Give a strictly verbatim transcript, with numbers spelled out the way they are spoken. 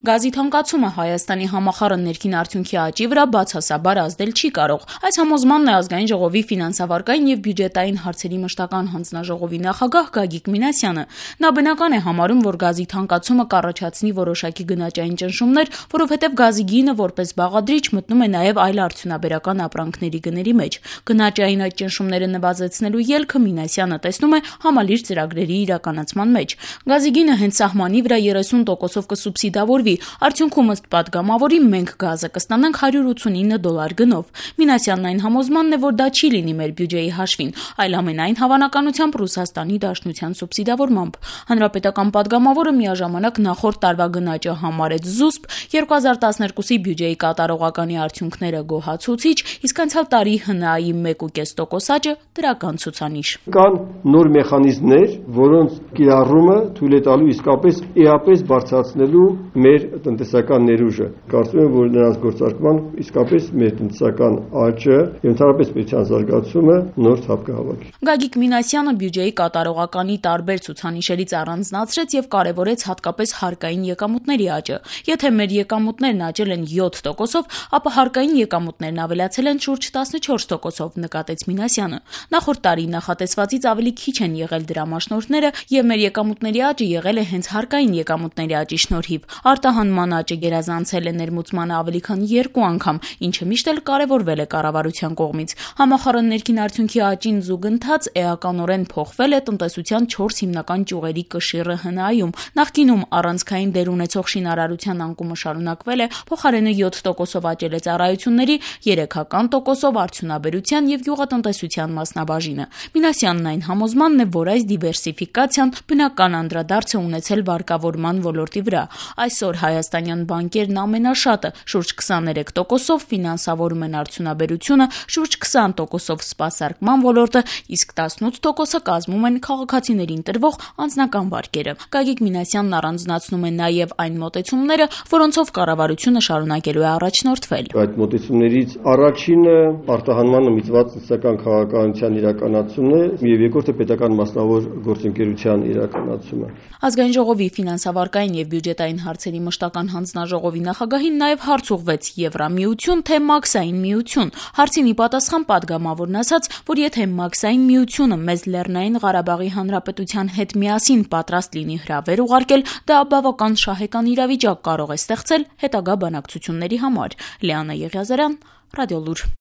Գազի թանկացումը Հայաստանի համախառն ներքին արդյունքի աճի վրա բացասաբար ազդել չի կարող։ Այս համոզմանն է Ազգային ժողովի ֆինանսավարկային եւ բյուջետային հարցերի մշտական հանձնաժողովի նախագահ Գագիկ Մինասյանը։ Նա բնական է համարում, որ գազի թանկացումը կառաջացնի որոշակի գնաճային ճնշումներ, որովհետեւ գազի գինը որպես բաղադրիչ մտնում է նաեւ այլ արդյունաբերական ապրանքների գների մեջ։ Գնաճային այդ ճնշումները նվազեցնելու ելքը Մինասյանը տեսնում է համալիր ծրագրերի իրականացման մեջ։ Գազի գինը հենց սահմանի վրա երեսուն տոկոսով կսուբսիդավորվի, արդյունքում ըստ պատգամավորի մենք գազը կստանանք հարյուր ութսունինը դոլար գնով։ Մինասյանն այն համոզմանն է, որ դա չի լինի մեր բյուջեի հաշվին, այլ ամենայն հավանականությամբ Ռուսաստանի Դաշնության սուբսիդավորմամբ։ Հանրապետական պատգամավորը միաժամանակ նախորդ տարվա գնաճը համարեց զուսպ, երկու հազար տասներկուսի բյուջեի կատարողականի արդյունքները գոհացուցիչ, իսկ անցյալ տարի ՀՆԱ-ի մեկ ու կես տոկոս աճը դրական ցուցանիշ։ Կան նոր մեխանիզմներ, որոնց կիրառումը թույլ է տալու իսկապես էապես բարձրացնելու մեր տնտեսական ներուժը։ Կարծում եմ, որ նրանց գործարկման իսկապես մեր տնտեսական աճը եւ ընդհանրապես պետության զարգացումը նոր թափ կհավաքի։ Գագիկ Մինասյանը բյուջեի կատարողականի տարբեր ցուցանիշերից առանձնացրեց եւ կարեւորեց հատկապես հարկային եկամուտների աճը։ Եթե մեր եկամուտներն աճել են յոթ տոկոսով, ապա հարկային եկամուտներն ավելացել են շուրջ տասնչորս տոկոսով, նկատեց Մինասյանը։ Նախորդ տարի նախատեսվածից ավելի քիչ են եղել դրամաշնորհները եւ մեր եկամուտների աճը եղել է հենց հարկային եկամուտների աճի շնորհիվ։ Արտահանման աճը գերազանցել է ներմուծմանը ավելի քան երկու անգամ, ինչը միշտ էլ կարևորվել է կառավարության կողմից։ Համախառն ներքին արդյունքի աճին զուգընթաց էականորեն փոխվել է տնտեսության չորս հիմնական ճյուղերի կշիռը ՀՆԱ-ում։ Նախկինում առանցքային դեր ունեցող շինարարության անկումը շարունակվել է, փոխարենը յոթ տոկոսով աճել է ծառայությունների, երեքական տոկոսով արդյունաբերության եւ գյուղատնտեսության մասնաբաժինը։ Մինասյանն այն համոզմանն է, որ այս դիվերսիֆիկացիան բնական անդրադարձ է ունեցել վարկավորման ոլորտի վրա։ Այսօր հայաստանյան բանկերն ամենաշատը շուրջ քսաներեք տոկոսով ֆինանսավորում են արդյունաբերությունը, շուրջ քսան տոկոսով սպասարկման ոլորտը, իսկ տասնութ տոկոսը կազմում են քաղաքացիներին տրվող անձնական վարկերը։ Գագիկ Մինասյանն առանձնացնում է նաև այն մոտեցումները, որոնցով կառավարությունը շարունակելու է առաջնորդվել։ Այդ մոտեցումներից առաջինը արտահանմանը միտված տնտեսական քաղաքականության իրականացումն է, եւ երկրորդը պետական մասնավոր գործընկերության իրականացումը։ Ազգային ժողովի ֆինանսավարկային եւ բյուջետային հարցերի մշտական հանձնաժողովի նախագահին նաև հարց ուղղվեց Եվրամիություն թե Մաքսային միություն։ Հարցին ի պատասխան պատգամավորն ասաց, որ եթե Մաքսային միությունը մեզ Լեռնային Ղարաբաղի Հանրապետության հետ միասին պատրաստ լինի հրավեր ուղարկել, դա բավական շահեկան իրավիճակ կարող է ստեղծել հետագա բանակցությունների համար։ Լիանա Եղիազարյան, Ռադիոլուր։